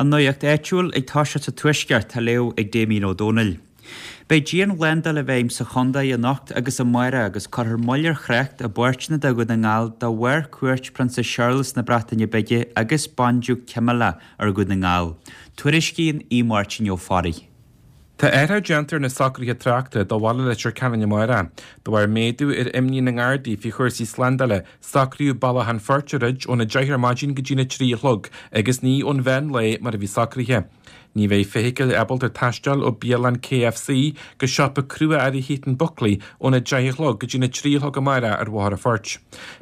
An nuacht áitiúil ag toiseacht sa Tuaisceart á léamh ag Damien Ó Dónaill. Beidh dianshlándáil i bhfeidhm sa chontae anocht agus amárach agus cuirfear moill ar thrácht i bpáirteanna de Dhún na nGall de bharr cuairt Prionsa Séarlas na Breataine Bige agus Bandiúc Camilla ar Dhún na nGall. Tuairiscíonn Aodh Máirtín Ó Fearraigh. Tá athrú déanta ar na socruithe tráchta do Bhaile Leitir Ceanainn amárach. De bharr méadú ar imní na nGardaí faoi chúrsaí slándála, socraíodh Bealach an Phoirt a dhruid óna 10 ar maidin go dtína 3 a chlog agus ní ón mheán lae mar a bhí socraithe. Ní bheidh feithicil ábalta taisteal ó bialann KFC go siopa crua-earraí Heaton Buckley óna 10 a chlog go dtína 3 a chlog amárach ar Bhóthar an Phoirt.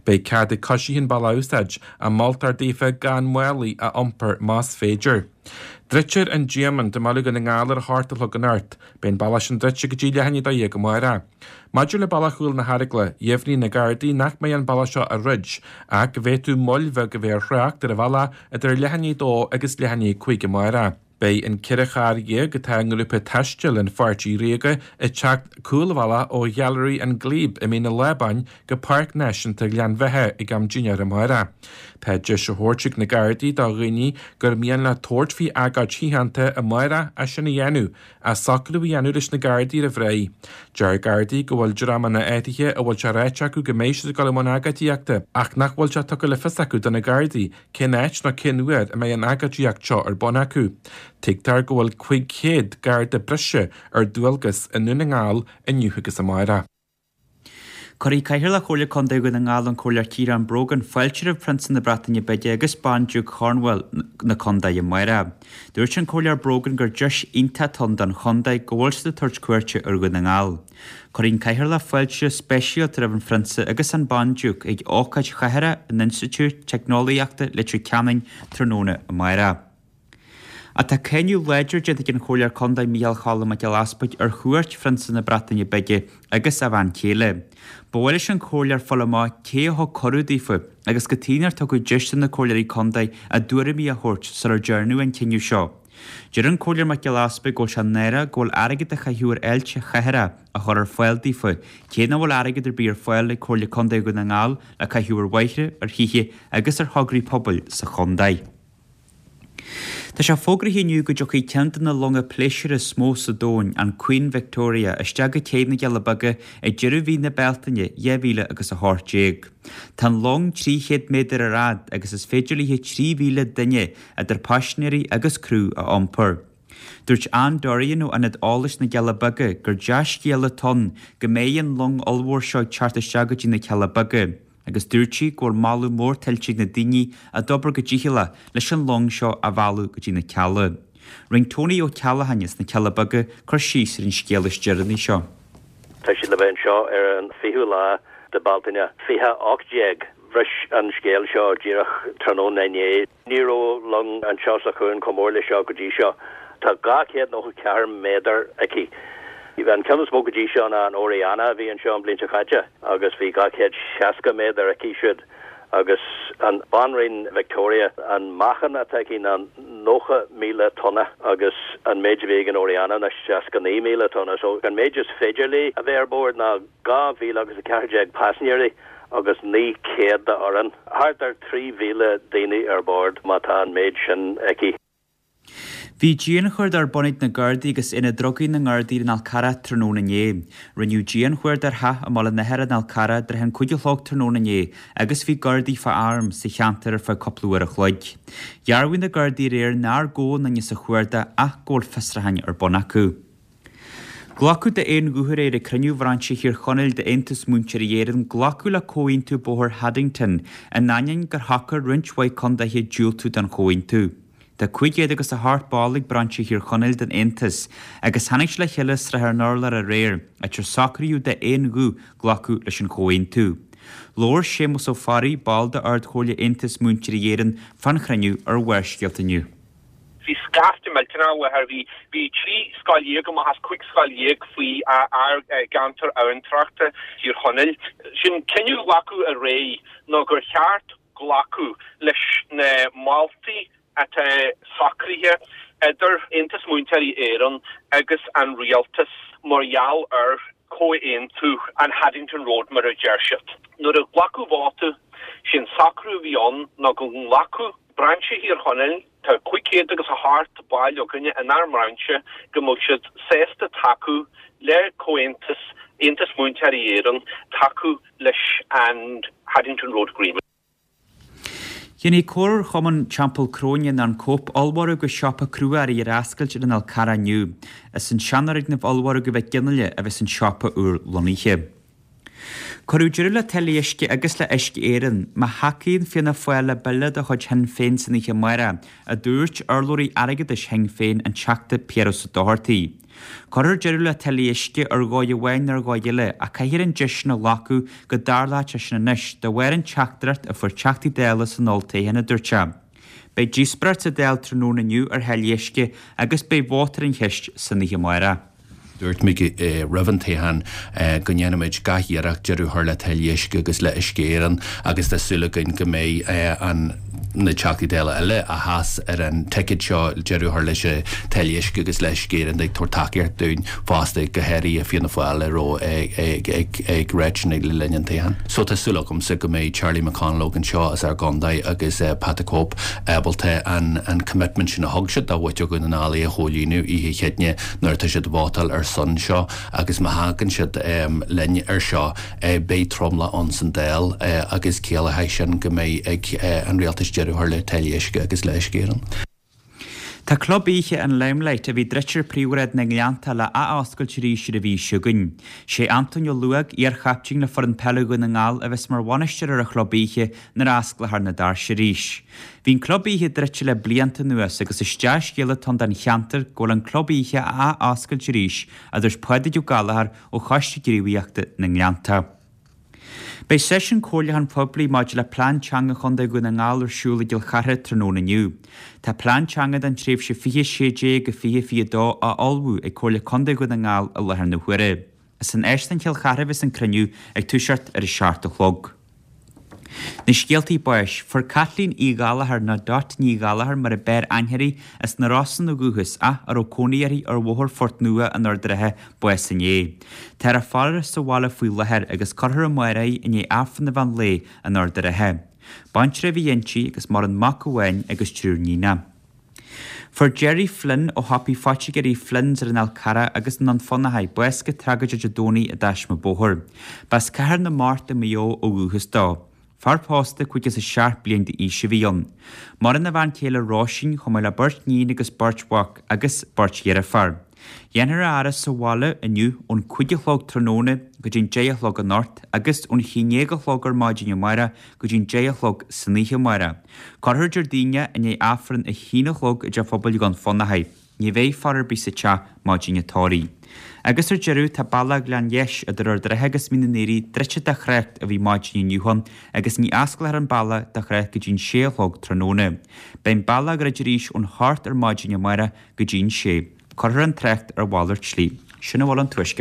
Beidh cead ag coisithe an bealach a úsáid, ach moltar daofa gan málaí a iompar más féidir. Druidtear an Diamond i mBaile Dhún na nGall ar a hocht a chlog anocht. Beidh an bealach sin druidte go dtí leath i ndiaidh a 12 amárach. Maidir le Bealach Chúil na hEaragla, dheimhnigh na Gardaí nach mbeidh an bealach seo á dhruid, ach go bhféadfadh moill bheag a bheith ar thrácht ar an bhealach idir leath i ndiaidh a dó agus leath i ndiaidh a 5 amárach. Beidh an 14 charr atá i ngrúpa taistil an Pháirtí Ríoga ag teacht cúlbhealach ó Ghailearaí an Glebe i Mín an Lábáin go Páirc Náisiúnta Ghleann Bheatha ag am dinnéir amárach. Tá deis á thabhairt ag na Gardaí do dhaoine gur mian leo tabhairt faoi agóid shíochánta amárach é sin a dhéanamh, ach socrú a dhéanamh leis na Gardaí roimh ré. Deir Gardaí go bhfuil dreamanna áirithe a bhfuil sé ráite acu go mbeidh siad ag dul i mbun agóidíochta ach nach bhfuil sé tugtha le fios acu do na Gardaí cén áit nó cén uair a mbeidh an agóidíocht seo ar bun acu. Tuigtear go bhfuil 500 Garda breise ar dualgas i nDún na nGall inniu agus amárach. Cuirfidh Cathaoirleach Chomhairle Contae Dhún na nGall, an Comhairleoir Ciarán Brogan, fáilte roimh Prionsa na Breataine Bige agus Bandiúc Chornwall na contae amárach. Dúirt an Comhairleoir Brogan gur deis iontach atá ann don chontae go bhfuil siad ag tabhairt cuairte ar Dhún na nGall. Cuirfidh an Cathaoirleach fáilte speisialta roimh an Phrionsa agus an Bandiúc ag ócáid chathartha in Institiúid Teicneolaíochta Leitir Ceanainn tráthnóna amárach. Ach tá cáineadh láidir déanta ag an Chomhairleoir Contae Micheál Choilm Mac Giolla Easpaig ar chuairt Phrionsa na Breataine Bige agus a bhean chéile. Ba mhaith leis an Chomhairleoir fáil amach cé a thug cuireadh daofa agus cad chuige nár tugadh deis do na Comhairleoirí Contae a dtuairimí a thabhairt sular dearnadh an cinneadh seo. Deir an Comhairleoir Mac Giolla Easpaig go bhfuil sé náireach go bhfuil airgead a chaitheamh ar fháilte chathartha á chur ar fáil daofa cé nach bhfuil airgead ar bith ar fáil ag Comhairle Contae Dhún na nGall le caitheamh ar bhóithre, ar thithe agus ar thograí pobail sa chontae. Tá sé fógraithe inniu go dtiocfaidh ceann de na longa pléisiúir is mó sa domhain, an Queen Victoria, isteach go cé na gCealla Beaga ag deireadh mhí na Bealtaine 2000 agus 18. Tá an long 300 méadar ar fhad agus is féidir léi 3,000 duine, idir paisinéirí agus criú, a iompar. Dúirt Ann Dorrian ó Ionad Eolais na gCealla Beaga gur dea-scéala atá ann go mbeidh an long ollmhór seo ag teacht isteach go dtí na Cealla Beaga. Agus dúirt sí go bhfuil moladh mór tuillte ag na daoine a d'obair go dícheallach leis an long seo a mhealladh go dtí na Cealla. Rinne Tony Ó Ceallacháin as na Cealla Beaga cur síos ar an scéal is deireanaí seo. Tá siad le bheith anseo ar an 20ú lá de Bealtaine 2018. Bhris an scéal seo díreach tráthnóna inné. Ní raibh long anseo sa chuan chomh mór leis seo go dtí seo. Tá 294 méadar aici. An ceann is mó go dtí seo ná an Oriana a bhí anseo an bhliain seo caite agus bhí 260 méadar aici siúd. Agus an Banríon Victoria, an meáchan atá aici ná 90,000 tonna agus an méid a bhí ag an Oriana ná 69,000 tonna. So an méid is féidir léi a bheith ar bord ná 2,000 agus 14 paisinéirí agus 900 de fhoireann. Thart ar 3,000 daoine ar bord má tá an méid sin aici. Bhí dianchuardach ar bun ag na Gardaí agus Aonad Drugaí na nGardaí ar an Fhál Carrach tráthnóna inné. Rinneadh dianchuardach ar theach i mBaile an Athara an Fhál Carrach i dtrátha an 5 a chlog tráthnóna inné agus bhí Gardaí fá arm sa cheantar ar feadh cúpla uair a chloig. Dhearbhaigh na Gardaí aréir nár gabhadh aon duine sa chuardach ach go bhfuil fiosrúcháin ar bun acu. Glacadh d'aon ghuth aréir ag cruinniú bhrainse Thír Chonaill d'Aontas Múinteoirí Éireann glacadh le Comhaontú Bóthair Haddington in ainneoin gur shocair roinnt mhaith condaetha diúltú don chomhaontú. Tá 500 agus 8 ball ag brainse Thír Chonaill den Aontas agus tháinig siad le chéile i Srath ar an Urlár aréir, áit ar socraíodh d'aon ghuth glacadh leis an chomhaontú. Labhair Séamus Ó Fearraigh, ball d'Ard-Chomhairle Aontas Múinteoirí Éireann, fán chruinniú ar Bharrscéalta inniu. Bhí scaifte millteanach i láthair. Bhí bhí 13 scoil amach as 15 scoil faoi ár gceantar abhantrachta Thír Chonaill. Sé'n cinneadh a glacadh aréir ná gur cheart glacadh leis na moltaí atá socraithe idir Aontas Múinteoirí Éireann agus an Rialtas mar gheall ar Comhaontú an Haddington Road mar a deir siad. Nuair a glacadh vóta, sé'n socrú a bhí ann ná go nglacfadh Brainse Thír Chonaill. Tá 500 agus a sheacht baill againne inár mbrainse go mbeadh siad sásta tacú le Comhaontas Aontas Múinteoirí Éireann tacú leis an Haddington Road Agreement. Déanfaidh Comharchumann Teampall Cróine nó an Cope ollmhargadh agus siopa crua-earraí ar oscailt ar an Fhál Carrach inniu. Is san seanfhoirgneamh ollmhargaidh Mhic Fhionnghaile a bheas an siopa úr lonnaithe. Cuireadh deireadh le táillí uisce agus le Uisce Éireann má thacaíonn Fianna Fáil le bille de chuid Shinn Féin san oíche amárach, a dúirt urlabhraí airgeadais Shinn Féin, an Teachta Piaras Ó Dochartaigh. Cuirfear deireadh le táillí uisce ar dhóigh amháin nó ar dhóigh eile ach caithfear an deis sin a ghlacadh go dtarlódh sé sin anois de bharr an teachtaireacht a fuair Teachtaí Dála san olltoghchán, a dúirt sé. Beidh díospóireacht sa Dáil tráthnóna inniu ar tháillí uisce agus beidh vóta ar an cheist san oíche amárach. Dúirt muid roimh an toghchán go ndéanfaimid gach iarracht deireadh a chur le táillí uisce agus le Uisce Éireann agus tá súil againn go mbeidh an na Teachtaí Dála eile a sheas ar an ticéad seo deireadh a chur leis na táillí uisce agus le hUisce Éireann ag tabhairt tacaíocht dúinn fosta, go háirithe Fianna Fáil a raibh ag ráit sin le linn an toghcháin. So tá súil agamsa go mbeidh Charlie McConalogue anseo as ár gcontae agus Pat the Cope ábalta an commitment sin a thug siad do mhuintir Dhún na nGall é a chomhlíonadh oíche Chéadaoine nuair atá siad ag vótáil ar son seo agus má thagann siad linn ar seo Beidh tromlach ann san Dáil agus ciallóidh sin go mbeidh ag an Rialtas deireadh a chur le táillí uisce agus le Uisce Éireann. Tá club oíche an Limelight, a bhí druidte ar phríomhshráid na nGleannta, le ath-oscailt arís ar an mhí seo chugainn. Sé Antóin Ó Luaig, iar-chaiptín le foireann peile Dhún na nGall, a bheas mar bhainisteoir ar an chlub oíche nuair a osclófar na doirse arís. Bhí an club oíche druidte le blianta anuas agus is dea-scéala atá ann don cheantar go bhfuil an club oíche á ath-oscailt arís, a dúirt Pádraig Ó Gallchóir ó Choiste Gníomhaíochta na nGleannta. Beidh seisiún comhairliúcháin poiblí maidir le Plean Teanga Chontae Dhún na nGall ar siúl i gCill Chartha tráthnóna inniu. Tá plean teanga don tréimhse 2016-2022 á ullmhú ag Comhairle Contae Dhún na nGall i láthair na huaire. Is in Óstán Chill Chartha a bheas an cruinniú ag toiseacht ar a 7 a chlog. Na scéaltaí báis, Fuair Caitlín Uí Ghallchóir, nó Dot Ní Ghallchóir mar a b'fhearr aithne uirthi, as na Rosann ó dhúchas ach a raibh cónaí uirthi ar Bhóthar Phort Nua in Ard an Rátha, bás inné. Táthar á faire sa bhaile faoi láthair agus cuirfear amárach í i ndiaidh Aifreann an mheán lae in Ard an Rátha. Baintreach a bhí inti agus maireann mac amháin agus triúr níonach. Fuair Gerry Flynn ó shiopaí phoitigéirí Flynn's ar an Fhál Carrach agus i nDún Fionnachaidh bás go tragóideach Dé Domhnaigh i dtaisme bóthair. B'as Cathair na Mart i Maigh Eo ó dhúchas dó. Fear pósta 57 bliain d'aois a bhí ann. Maireann a bhean chéile Róisín chomh maith le beirt níon agus beirt mhac agus beirt dheirféar. Dhéanfar a fhaire sa bhaile inniu ón 5 a chlog tráthnóna go dtí'n 10 a chlog anocht agus ón 11 a chlog ar maidin amárach go dtí'n 10 a chlog san oíche amárach. Cuirfear Déardaoin i ndiaidh Aifreann a haon a chlog i dTeach Phobail Dhún Fionnachaidh. Ní bheidh faire ar bith sa teach maidin an tórraimh. Agus ar deireadh, tá bealach Ghleann Dheis idir Ard an Rátha agus Mín an Aoraigh druidte do thrácht a bhí maidin inniu ann agus ní osclófar an bealach do thrácht go dtí'n sé a chlog tráthnóna. Beidh an bealach á dhruid arís ón hocht ar maidin amárach go dtí'n sé. Cuirfear an trácht ar mhalairt slí. Sin a bhfuil ón Tuaisceart.